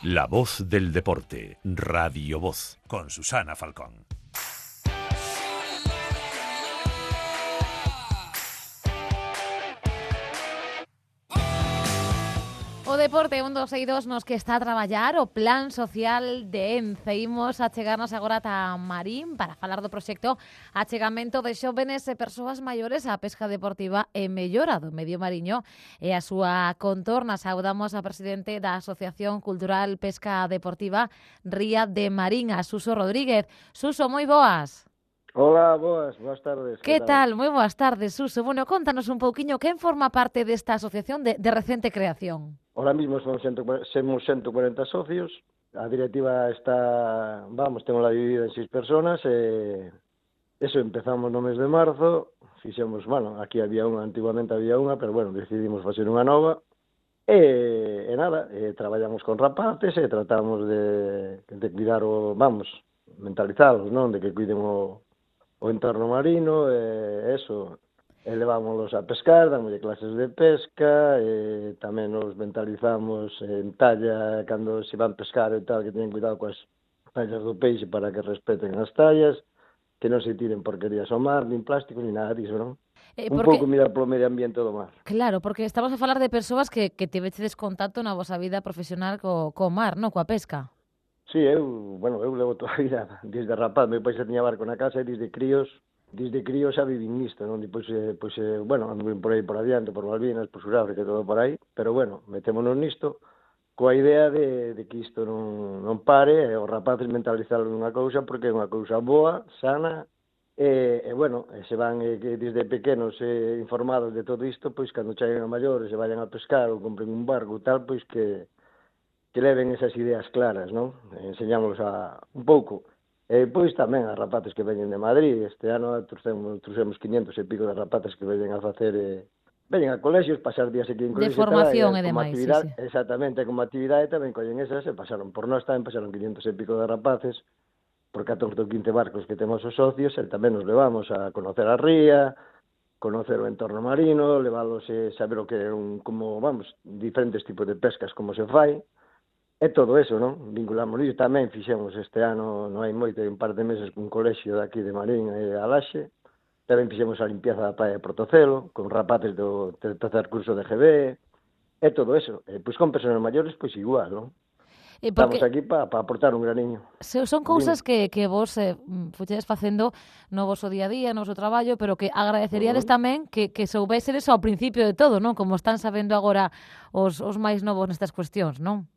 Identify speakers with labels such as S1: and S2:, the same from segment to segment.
S1: La voz del deporte, Radio Voz, con Susana Falcón.
S2: O deporte 1, 2 e 2 nos que está a traballar o Plan Social de Ence. Imos a chegarnos agora ata Marín para falar do proxecto Achegamento de xóvenes e persoas maiores á pesca deportiva e mellora do medio mariño e a súa contorna. Saudamos a presidente da Asociación Cultural Pesca Deportiva Ría de Marín, a Suso Rodríguez. Suso, moi boas.
S3: Hola, boas tardes.
S2: Que tal? Moi boas tardes, Suso. Bueno, contanos un pouquiño quen forma parte desta asociación de recente creación.
S3: Ahora mismo somos 140 socios. A directiva está, tengo dividida en 6 personas. Eso empezamos no mes de marzo. Fixemos, aquí antiguamente había unha, pero decidimos facer unha nova. E nada, traballamos con rapaces e tratamos de cuidar mentalizalos, non? De que cuiden o entorno marino, eso, levámonos a pescar, damoslle clases de pesca, tamén nos mentalizamos en talla, cando se van pescar e tal, que teñen cuidado coas tallas do peixe para que respeten as tallas, que non se tiren porquerías ao mar, nin plásticos, nin nada disso, non? Un pouco mirar polo medio ambiente do mar.
S2: Claro, porque estamos a falar de persoas que tivechedes contacto na vosa vida profesional co mar, non? Coa pesca.
S3: Sí, eu levo toda a vida, desde rapaz, meu pai xa tiña barco na casa e desde críos xa vivín nisto, non? Depois, anduve por aí por adiante, por Malvinas, por Suráfrica e todo por aí, pero metémonos nisto coa idea de que isto non pare, e os rapaces mentalizalos nunha cousa, porque é unha cousa boa, sana, e se van desde pequenos informados de todo isto, pois cando cheguen a maiores e vayan a pescar ou compren un barco e tal, pois que leven esas ideas claras, non? Enseñámoslos un pouco. E depois tamén a rapaces que veñen de Madrid. Este ano trouxemos 500 e pico de rapaces que veñen a facer, veñen a colexios, pasar días aquí en colexios.
S2: De formación e demais, sí.
S3: Exactamente, como actividade tamén collen esas e pasaron por nós, tamén pasaron 500 e pico de rapaces, por 14 ou 15 barcos que temos os socios, e tamén nos levamos a conocer a ría, conocer o entorno marino, leválos a saber o que é diferentes tipos de pescas, como se fai. É todo eso, non? Vinculamos iso. Tamén fixemos este ano, non hai moito, un par de meses, cun colexio daqui de Marín e Alaxe. Tamén fixemos a limpieza da praia de Portocelo, con rapaces do tercer curso de GB. É todo eso. Pois con persoas maiores, pois igual, non? Estamos aquí para aportar un graniño.
S2: Son cousas que vos fuchedes facendo no voso día a día, no voso traballo, pero que agradeceríades tamén que soubésedes ao principio de todo, non? Como están sabendo agora os máis novos nestas cuestións, non?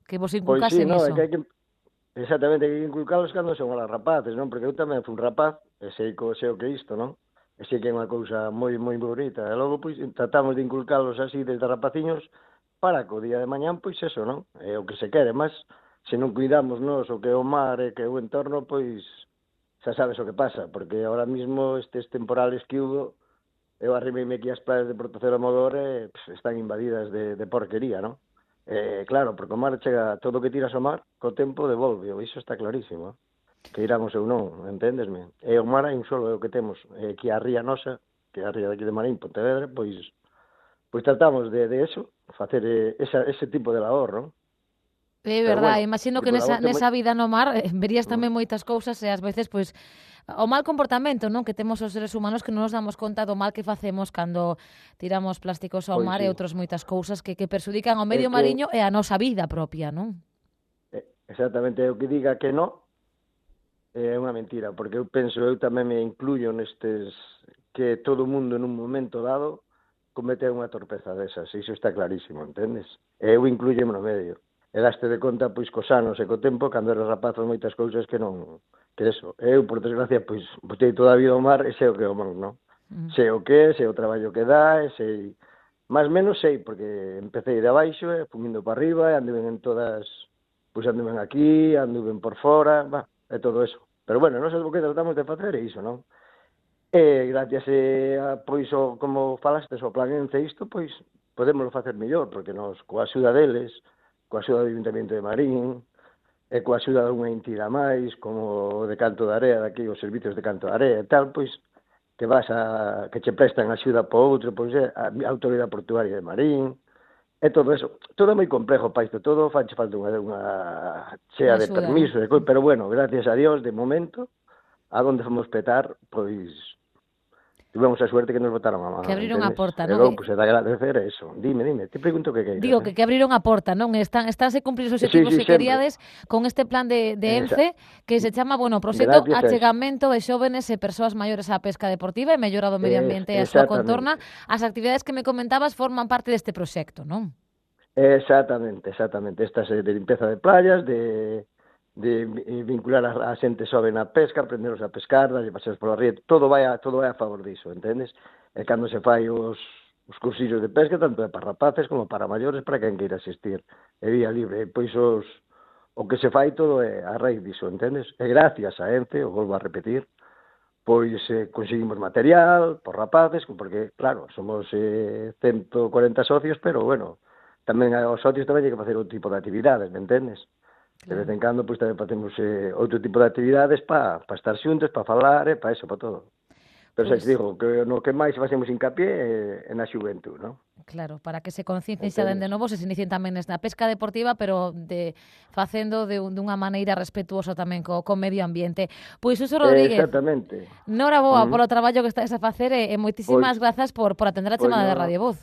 S2: Que vos inculcasen iso.
S3: Exactamente, hai que inculcalos cando son os rapaces, non? Porque eu tamén fui un rapaz, e sei o que é isto, non? E sei que é unha cousa moi bonita. E logo, pois, tratamos de inculcalos así desde rapaciños para que o día de mañán, pois, eso, non? É o que se quere, mas se non cuidamos nós o que é o mar e que é o entorno, pois, xa sabes o que pasa, porque ahora mismo estes temporales que hubo, eu arrimei-me aquí as praias de Portocelo e Modor e están invadidas de porquería, non? Claro, porque o mar chega, todo o que tiras ao mar, co tempo devolve, iso está clarísimo, que iramos ou non, entendesme? E o mar hai un solo, é o que temos, que a ría nosa, que é a ría daqui de Marín, Pontevedra, pois tratamos de eso, facer ese tipo de labor, non?
S2: É verdade, imagino que nesa vida no mar verías tamén moitas cousas e ás veces, pois, o mal comportamento, non, que temos os seres humanos, que non nos damos conta do mal que facemos cando tiramos plásticos ao mar e outras moitas cousas que perxudican ao medio mariño e a nosa vida propia, non?
S3: Exactamente, o que diga que non é unha mentira, porque eu tamén me incluyo nestes, que todo o mundo nun momento dado comete unha torpeza desas, iso está clarísimo, entendes? Eu incluyeme no medio. E daste de conta, pois, cos anos e co tempo, cando eres rapaz, moitas cousas que non... Que eso. Eu, por desgracia, pois, botei toda a vida ao mar e sei o que é o mar, non? Sei o que é, sei o traballo que dá, e sei... Más menos sei, porque empecé de abaixo, fui indo para arriba, e anduven en todas... Pois anduven aquí, anduven por fora, é todo eso. Pero, nós o que tratamos de facer é iso, non? E, gracias a, pois, como falastes, o plan Ence isto, pois, podémoslo facer mellor, porque nós, coa axuda deles, coa axuda do Ayuntamiento de Marín, e coa axuda de unha entidade máis, como o de Canto de Area, daqui os servicios de Canto de Area e tal, pois, que che prestan axuda para outro, pois, a Autoridade Portuaria de Marín, E todo eso, todo é moi complejo para isto, todo fai falta unha chea de
S2: Axuda,
S3: permiso, pero bueno, gracias a Dios, de momento, a donde fomos petar, pois tivemos a suerte que nos botaron a mano,
S2: que abriron a
S3: entendes?
S2: porta,
S3: E
S2: non?
S3: logo, pois, é de agradecer eso. Dime, te pregunto que queiras.
S2: Digo que abriron a porta, non? Estánse cumplir os objetivos que
S3: sempre.
S2: queríades con este plan de ENCE que se chama, bueno, proxecto
S3: Gracias a eso.
S2: Achegamento de xóvenes e persoas maiores á pesca deportiva e mellora do medio ambiente e a súa contorna. As actividades que me comentabas forman parte deste proxecto, non?
S3: Exactamente. Estas de limpeza de playas, de vincular a xente xoven na pesca, aprenderos a pescar, darlle paseos pola ría, todo vai a favor diso, entendes? E cando se fai os cursillos de pesca, tanto é para rapaces como para maiores, para quen queira asistir, é vía libre, e pois o que se fai todo é a raíz diso, entendes? E gracias a ENCE, o volvo a repetir, pois conseguimos material por rapaces, porque, claro, somos 140 socios, pero, bueno, tamén os socios tamén hai que facer outro tipo de actividades, me entendes? De vez en cando, pois, tamén facemos outro tipo de actividades para estar xuntos, para falar, para eso, para todo. Pero xa te digo, que no que máis facemos hincapié é na xuventud, non?
S2: Claro, para que se conciencien xa dende novo, se inicien tamén na pesca deportiva, pero facendo dunha maneira respetuosa tamén co medio ambiente. Pois, Suso Rodríguez,
S3: exactamente.
S2: Noraboa polo traballo que estáis a facer e moitísimas grazas por atender a chamada de Radio Voz.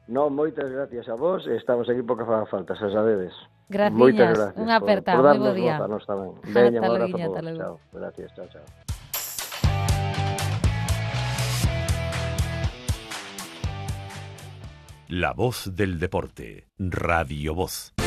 S3: Non, moitas gracias a vos, estamos aquí porque faga falta, xa sabedes.
S2: Gracias, unha aperta, moi bo día.
S3: Por darnos voz a nós tamén. Veña, un abrazo
S2: ata
S3: a vos.
S2: logo.
S3: Chao, gracias, chao.
S1: La voz del deporte, Radio Voz.